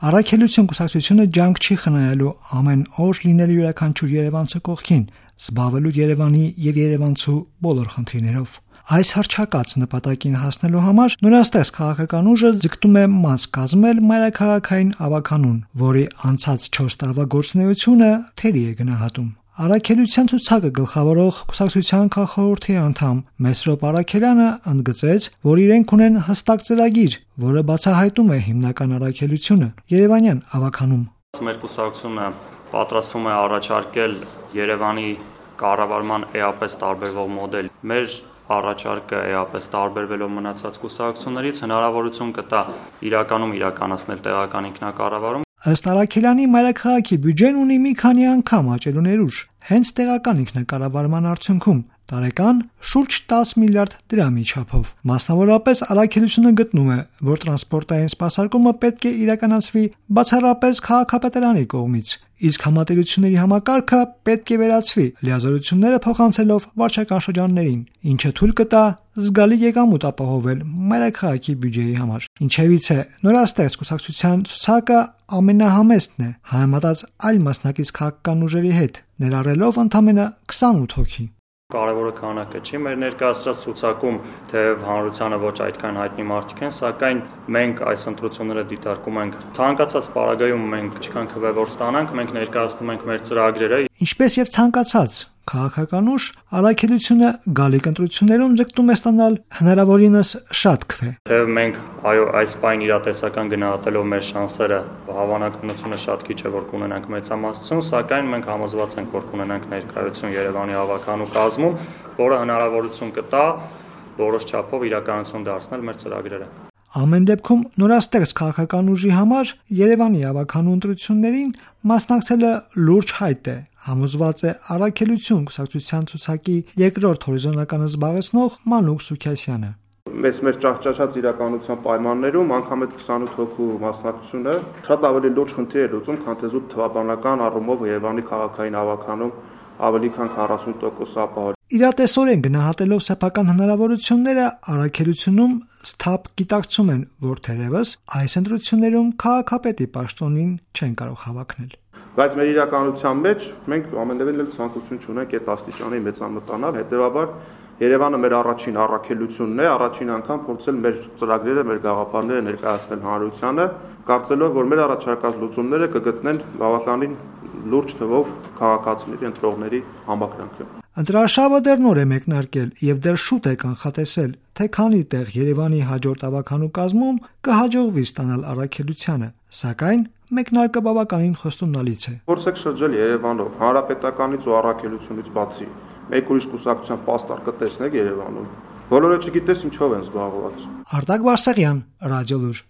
Առաքելություն կուսակցությունը ջանք չի խնայելու ամեն օր լինելու յուրաքանչյուր երևանցու կողքին, զբաղվելու Երևանի եւ երևանցու բոլոր խնդիրներով։ Այս հռչակած նպատակին հասնելու համար նորաստեղծ քաղաքական ուժը ձգտում է մաս կազմել մայրաքաղաքային ավականուն, որի անցած 4 տարվա գործունեությունը թերի է գնահատում։ Առաքելության ցուցակը գլխավորող կուսակցության քաղխորհրդի անդամ Մեսրոպ Առաքելյանը ընդգծեց, որ իրենք ունեն հստակ ծրագիր, որը բացահայտում է հիմնական առաքելությունը Երևանյան ավականում։ Մեր կուսակցությունը պատրաստվում է առաջարկել Երևանի կառավարման էապես տարբերվող մոդել։ Մեր առաջարկը էապես տարբերվելով մնացած կուսակցություններից հնարավորություն կտա իրականում իրականացնել տեղական ինքնակառավարում։ Ըստ Առաքելյանի մայրաքաղաքի բյուջեն ունի մի քանի անգամ աճելու ներուժ, հենց տեղական ինքնակառավարման արդյունքում տարեկան շուրջ 10 միլիարդ դրամի չափով։ Մասնավորապես Առաքելությունը գտնում է, որ տրանսպորտային սպասարկումը պետք է իրականացվի բացառապես քաղաքապետարանի կողմից, իսկ համատեղությունների համակարգը պետք է վերացվի, լիազորությունները փոխանցելով վարչական շրջաններին, ինչը թույլ կտա զգալի եկամուտ ապահովել մայրաքաղաքի բյուջեի համար։ Ինչևից է նորաստեղծ կուսակցության ցուցակը ամենահամեստն է, համեմատած այլ մասնակից քաղաքական ուժերի հետ, ներառելով ընդամենը 28 հոգի։ Կարևորը քանակը չի, մեր ներկայացրած ցուցակում թեև հանրությանը ոչ այդքան հայտնի մարդիկ են, սակայն մենք այս ընտրությունները դիտարկում ենք ցանկացած պարագայում մենք ինչքան քվեվոր ստանանք, մենք ներկայացնում ենք մեր ծրագրերը։ Ինչպես եւ ցանկացած քաղաքական ուժ, Առաքելությունը գալիք ընտրություններում ձգտում է ստանալ հնարավորինս շատ քվե։ Թեև մենք այս պայն իրատեսական գնահատելով մեր շանսերը հավանականությունը շատ քիչ է որ կունենանք մեծամասնություն, սակայն մենք համոզված ենք որ կունենանք ներկայություն Երևանի ավականու կազմում, որը հնարավորություն կտա որոշ չափով իրականություն դարձնել մեր ծրագրերը։ Ամեն դեպքում նորաստեղծ քաղաքական ուժի համար Երևանի ավականու ընտրություններին մասնակցելը լուրջ հայտ է, համոզված է Առաքելություն կուսակցության ցուցակի երկրորդ հորիզոնականը զբաղեցնող Մանուկ Սուքիասյանը։ Մեր ճահճաշած իրականության պայմաններում անգամ այդ 28 հոգու մասնակցությունը շատ ավելի լուրջ խնդիր է լուծում, քան թե զուտ թվաբանական առումով Երևանի քաղաքային ավականում ավելի քան 40% ապահով։ Իրատեսորեն գնահատելով սեփական հնարավորությունները Առաքելությունում սթափ գիտակցում են, որ թերևս այս ընտրություններում քաղաքապետի պաշտոնին չեն կարող հավակնել։ Բայց մեր իրականության մեջ մենք ամենևին էլ ցանկություն չունենք այդ աստիճանի մեծամտանալ, հետեւաբար Երևանը մեր առաջին առաքելությունն է, առաջին անգամ փորձել մեր ծրագրերը, մեր գաղափարները ներկայացնել հանրությանը, կարծելով, որ մեր առաջարկած լուծումները կգտնեն բավականին լուրջ թվով քաղաքացիների, ընտրողների համակրանքը։ Ընտրարշավը դեռ նոր է մեկնարկել եւ դեռ շուտ է կանխատեսել, թե քանի տեղ Երևանի հաջորդ ավականու կազմում կհաջողվի ստանալ Առաքելությանը, սակայն մեկնարկը բավականին խոստումնալից է։ Փորձեք շրջել Երևանով, հանրապետականից ու Առաքելությունից բացի, մեկ ուրիշ կուսակցության պաստառ կտեսնեք Երևանում։ Բոլորը չգիտես ինչով են զբաղված։ Արտակ Բարսեղյան, Ռադիոլուր։